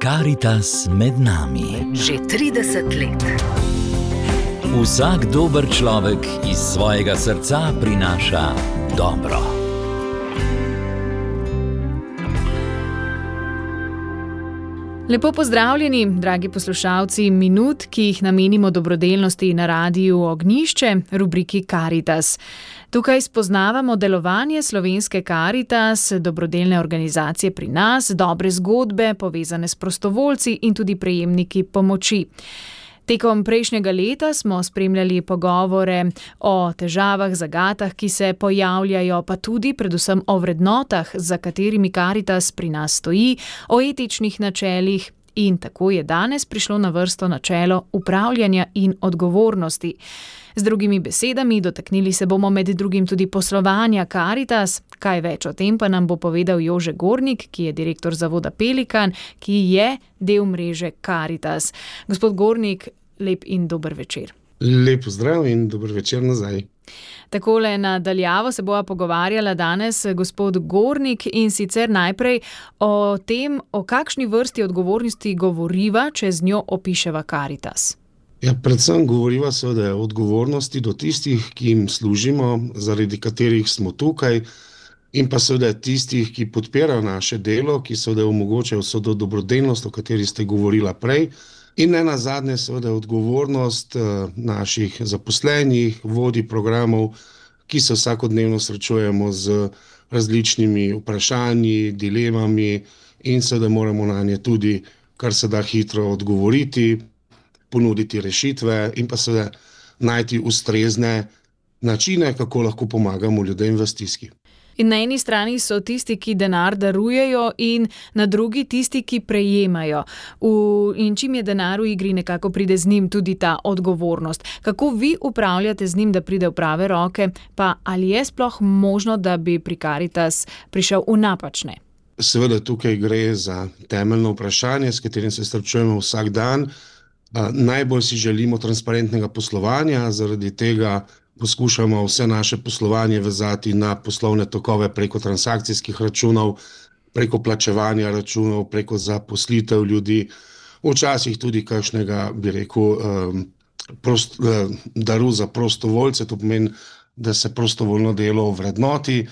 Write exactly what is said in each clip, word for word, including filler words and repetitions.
Karitas med nami. Že trideset let. Vsak dober človek iz svojega srca prinaša dobro. Lepo pozdravljeni, dragi poslušalci minut, ki jih namenimo dobrodelnosti na Radiu Ognjišče, rubriki Karitas. Tukaj spoznavamo delovanje slovenske Karitas, dobrodelne organizacije pri nas, dobre zgodbe, povezane s prostovoljci in tudi prejemniki pomoči. Tekom prejšnjega leta smo spremljali pogovore o težavah, zagatah, ki se pojavljajo, pa tudi predvsem o vrednotah, za katerimi Karitas pri nas stoji, o etičnih načelih. In tako je danes prišlo na vrsto načelo upravljanja in odgovornosti. Z drugimi besedami, dotaknili se bomo med drugim tudi poslovanja Karitas. Kaj več o tem pa nam bo povedal Jože Gornik, ki je direktor zavoda Pelikan, ki je del mreže Karitas. Gospod Gornik, lep in dober večer. Lep pozdrav in dober večer nazaj. Takole na daljavo se bova pogovarjala danes, gospod Gornik, in sicer najprej o tem, o kakšni vrsti odgovornosti govoriva, če z njo opiševa Karitas. Ja, predvsem govoriva seveda o odgovornosti do tistih, ki jim služimo, zaradi katerih smo tukaj, in pa seveda tistih, ki podpirajo naše delo, ki seveda omogočajo vso to dobrodelnost, o kateri ste govorila prej, in ne nazadnje seveda odgovornost naših zaposlenih, vodij programov, ki se vsakodnevno srečujemo z različnimi vprašanji, dilemami in seveda moramo na nje tudi kar se da hitro odgovoriti, ponuditi rešitve in pa seveda najti ustrezne načine, kako lahko pomagamo ljudem v stiski. In na eni strani so tisti, ki denar darujejo, in na drugi tisti, ki prejemajo. V, in čim je denar v igri, nekako pride z njim tudi ta odgovornost. Kako vi upravljate z njim, da pride v prave roke, pa ali je sploh možno, da bi pri Karitas prišel v napačne? Seveda tukaj gre za temeljno vprašanje, s katerim se srečujemo vsak dan. Najbolj si želimo transparentnega poslovanja, zaradi tega poskušamo vse naše poslovanje vezati na poslovne tokove preko transakcijskih računov, preko plačevanja računov, preko zaposlitev ljudi, včasih tudi kakšnega, bi rekel, prost, daru za prostovoljce, to pomeni, da se prostovoljno delo ovrednoti.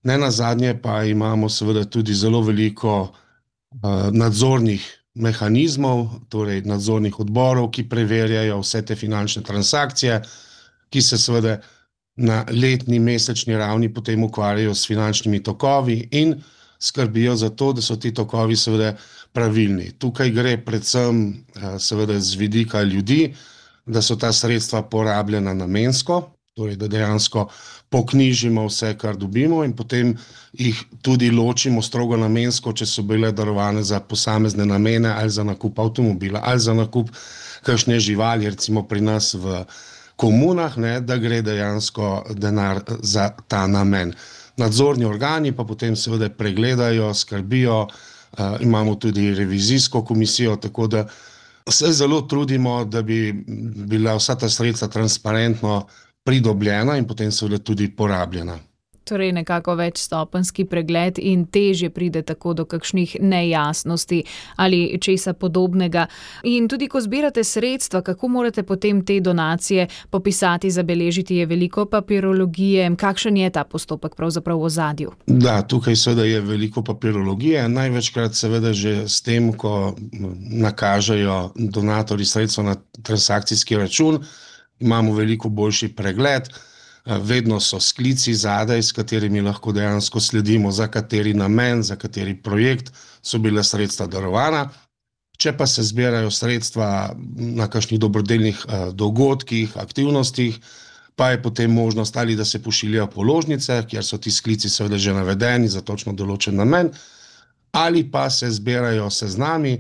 Ne nazadnje pa imamo seveda tudi zelo veliko nadzornih mehanizmov, torej nadzornih odborov, ki preverjajo vse te finančne transakcije, ki se seveda na letni, mesečni ravni potem ukvarjajo s finančnimi tokovi in skrbijo za to, da so ti tokovi seveda pravilni. Tukaj gre predvsem seveda z vidika ljudi, da so ta sredstva porabljena namensko, torej da dejansko poknjižimo vse, kar dobimo, in potem jih tudi ločimo strogo namensko, če so bile darovane za posamezne namene, ali za nakup avtomobila, ali za nakup kakšne živali, recimo pri nas v komunah, ne, da gre dejansko denar za ta namen. Nadzorni organi pa potem seveda pregledajo, skrbijo, uh, imamo tudi revizijsko komisijo, tako da se zelo trudimo, da bi bila vsa ta sredstva transparentno pridobljena in potem seveda tudi porabljena. Torej nekako večstopenjski pregled in težje pride tako do kakšnih nejasnosti ali česa podobnega. In tudi ko zbirate sredstva, kako morate potem te donacije popisati, zabeležiti, je veliko papirologije, kakšen je ta postopek pravzaprav v ozadju? Da, tukaj seveda je veliko papirologije, največkrat seveda že s tem, ko nakažejo donatorji sredstva na transakcijski račun, imamo veliko boljši pregled. Vedno so sklici zadaj, s katerimi lahko dejansko sledimo, za kateri namen, za kateri projekt so bile sredstva darovana. Če pa se zbirajo sredstva na kakšnih dobrodelnih dogodkih, aktivnostih, pa je potem možnost ali da se pošiljajo položnice, kjer so ti sklici seveda že navedeni za točno določen namen, ali pa se zbirajo seznami,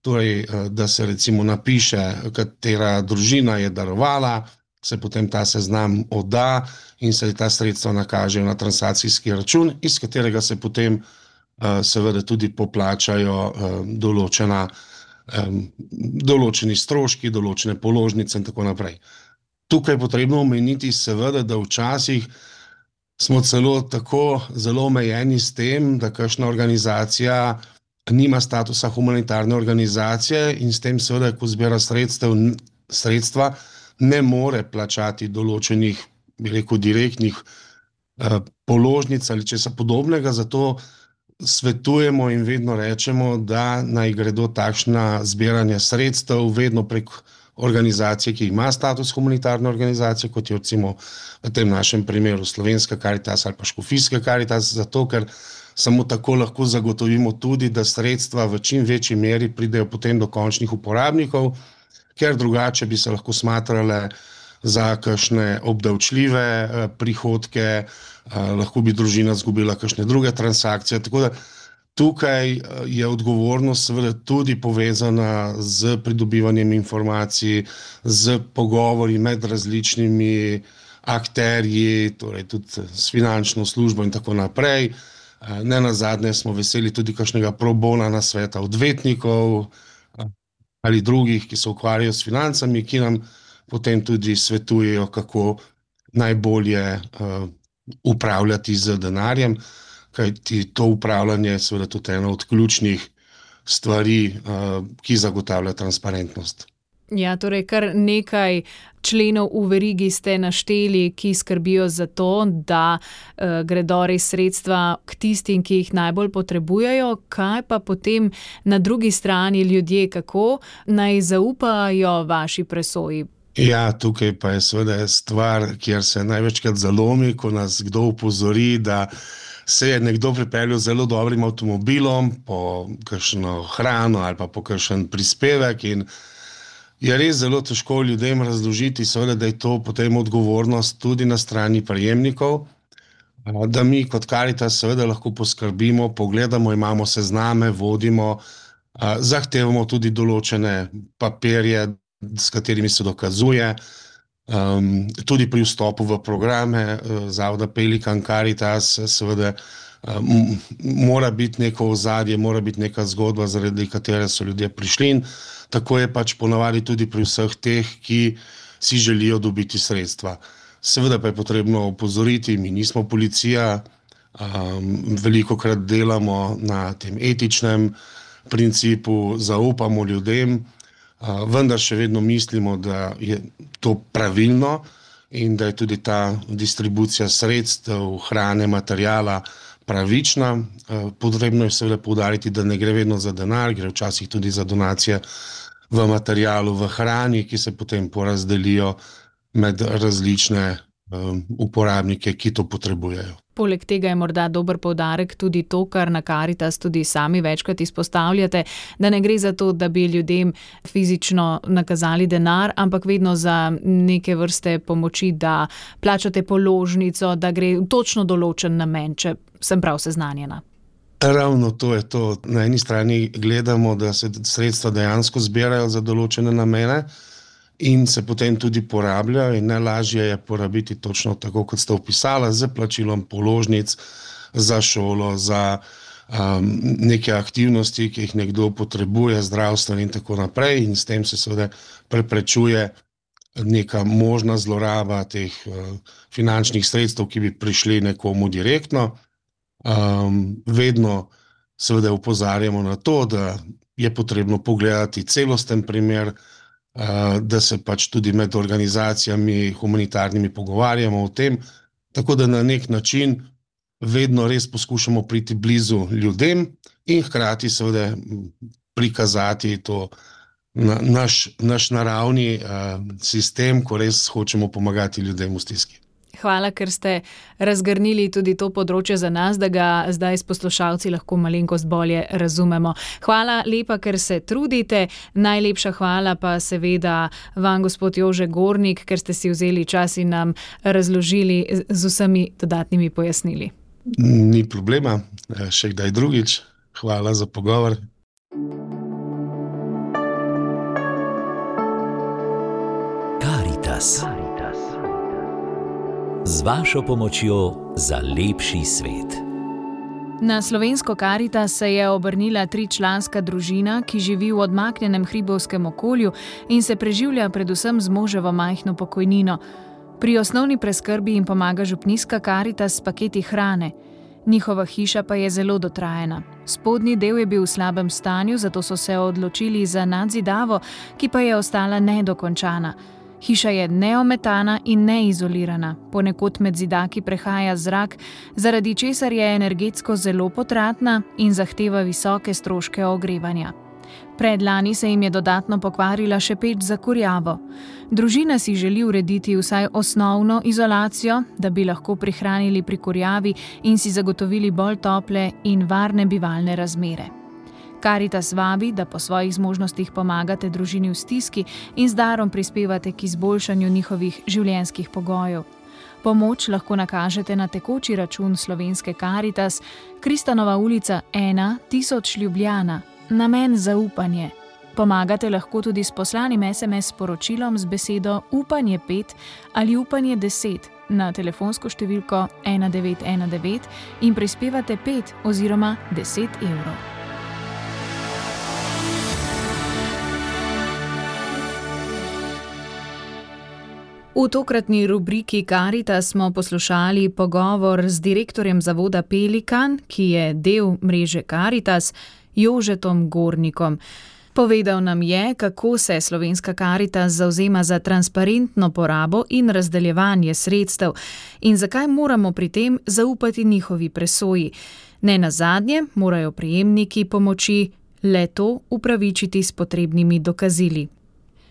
torej da se recimo napiše, katera družina je darovala, se potem ta seznam odda in se ta sredstva nakažejo na transakcijski račun, iz katerega se potem uh, seveda tudi poplačajo uh, določena, um, določeni stroški, določene položnice in tako naprej. Tukaj je potrebno omeniti seveda, da včasih smo celo tako zelo omejeni s tem, da kakšna organizacija nima statusa humanitarne organizacije in s tem seveda, ko zbira sredstev, sredstva, ne more plačati določenih, bi rekel, direktnih eh, položnic ali česa podobnega, zato svetujemo in vedno rečemo, da naj gredo takšna zbiranja sredstev vedno prek organizacije, ki ima status humanitarne organizacije, kot je recimo v tem našem primeru Slovenska Karitas ali pa Škofijska Karitas, zato ker samo tako lahko zagotovimo tudi, da sredstva v čim večji meri pridejo potem do končnih uporabnikov, ker drugače bi se lahko smatrale za kakšne obdavčljive prihodke, lahko bi družina izgubila kakšne druge transakcije. Tako da tukaj je odgovornost seveda tudi povezana z pridobivanjem informacij, z pogovori med različnimi akterji, torej tudi s finančno službo in tako naprej. Ne nazadnje smo veseli tudi kakšnega pro bona nasveta odvetnikov ali drugih, ki se ukvarjajo s financami, ki nam potem tudi svetujejo, kako najbolje uh, upravljati z denarjem, kajti to upravljanje je seveda tudi ena od ključnih stvari, uh, ki zagotavlja transparentnost. Ja, torej kar nekaj členov v verigi ste našteli, ki skrbijo za to, da uh, gredo res sredstva k tistim, ki jih najbolj potrebujejo. Kaj pa potem na drugi strani ljudje, kako naj zaupajo vaši presoji? Ja, tukaj pa je seveda stvar, kjer se največkrat zalomi, ko nas kdo opozori, da se je nekdo pripeljal z zelo dobrim avtomobilom po kakšno hrano ali pa po kakšen prispevek in je res zelo težko ljudem razložiti, seveda, da je to potem odgovornost tudi na strani prejemnikov, da mi kot Karitas seveda lahko poskrbimo, pogledamo, imamo sezname, vodimo, zahtevamo tudi določene papirje, s katerimi se dokazuje, um, tudi pri vstopu v programe uh, Zavoda Pelikan Karitas, seveda um, mora biti neko ozadje, mora biti neka zgodba, zaradi katere so ljudje prišli in tako je pač ponavadi tudi pri vseh teh, ki si želijo dobiti sredstva. Seveda pa je potrebno opozoriti, mi nismo policija, um, velikokrat delamo na tem etičnem principu, zaupamo ljudem, Uh, vendar še vedno mislimo, da je to pravilno in da je tudi ta distribucija sredstev, hrane, materijala pravična. Uh, potrebno je seveda poudariti, da ne gre vedno za denar, gre včasih tudi za donacije v materialu, v hrani, ki se potem porazdelijo med različne um, uporabnike, ki to potrebujejo. Poleg tega je morda dober poudarek tudi to, kar na Karitas tudi sami večkrat izpostavljate, da ne gre za to, da bi ljudem fizično nakazali denar, ampak vedno za neke vrste pomoči, da plačate položnico, da gre v točno določen namen, če sem prav seznanjena. Ravno to je to. Na eni strani gledamo, da se sredstva dejansko zbirajo za določene namene, in se potem tudi porabljajo in najlažje je porabiti točno tako, kot ste opisala, z plačilom položnic za šolo, za um, neke aktivnosti, ki jih nekdo potrebuje, zdravstvene in tako naprej in s tem se seveda preprečuje neka možna zloraba teh uh, finančnih sredstev, ki bi prišli nekomu direktno. Um, vedno seveda opozarjamo na to, da je potrebno pogledati celosten primer, da se pač tudi med organizacijami humanitarnimi pogovarjamo o tem, tako da na nek način vedno res poskušamo priti blizu ljudem in hkrati seveda prikazati to na, naš, naš naravni uh, sistem, ko res hočemo pomagati ljudem v stiski. Hvala, ker ste razgrnili tudi to področje za nas, da ga zdaj s poslušalci lahko malenkost bolje razumemo. Hvala lepa, ker se trudite. Najlepša hvala pa seveda vam, gospod Jože Gornik, ker ste si vzeli čas in nam razložili z vsemi dodatnimi pojasnili. Ni problema, še kdaj drugič. Hvala za pogovor. Karitas. Z vašo pomočjo za lepši svet. Na slovensko Karitas se je obrnila tričlanska družina, ki živi v odmaknjenem hribovskem okolju in se preživlja predvsem z moževo majhno pokojnino. Pri osnovni preskrbi jim pomaga župnijska Karitas s paketi hrane. Njihova hiša pa je zelo dotrajana. Spodnji del je bil v slabem stanju, zato so se odločili za nadzidavo, ki pa je ostala nedokončana. Hiša je neometana in neizolirana, ponekod med zidaki prehaja zrak, zaradi česar je energetsko zelo potratna in zahteva visoke stroške ogrevanja. Predlani se jim je dodatno pokvarila še peč za kurjavo. Družina si želi urediti vsaj osnovno izolacijo, da bi lahko prihranili pri kurjavi in si zagotovili bolj tople in varne bivalne razmere. Karitas vabi, da po svojih zmožnostih pomagate družini v stiski in z darom prispevate k izboljšanju njihovih življenjskih pogojev. Pomoč lahko nakažete na tekoči račun slovenske Karitas, Kristanova ulica ena tisoč Ljubljana, namen zaupanje. Pomagate lahko tudi s poslanim es em es sporočilom z besedo upanje pet ali upanje deset na telefonsko številko ena devet ena devet in prispevate pet oziroma deset evrov. V tokratni rubriki Karitas smo poslušali pogovor z direktorjem zavoda Pelikan, ki je del mreže Karitas, Jožetom Gornikom. Povedal nam je, kako se slovenska Karitas zavzema za transparentno porabo in razdeljevanje sredstev in zakaj moramo pri tem zaupati njihovi presoji. Ne nazadnje morajo prejemniki pomoči le to upravičiti s potrebnimi dokazili.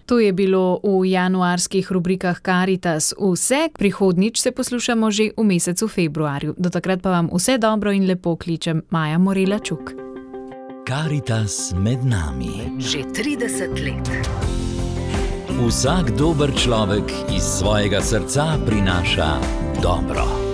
To je bilo v januarskih rubrikah Karitas vse, prihodnjič se poslušamo že v mesecu februarju. Do takrat pa vam vse dobro in lepo kličem Maja Morela Čuk. Karitas med nami. Že trideset let. Vsak dober človek iz svojega srca prinaša dobro.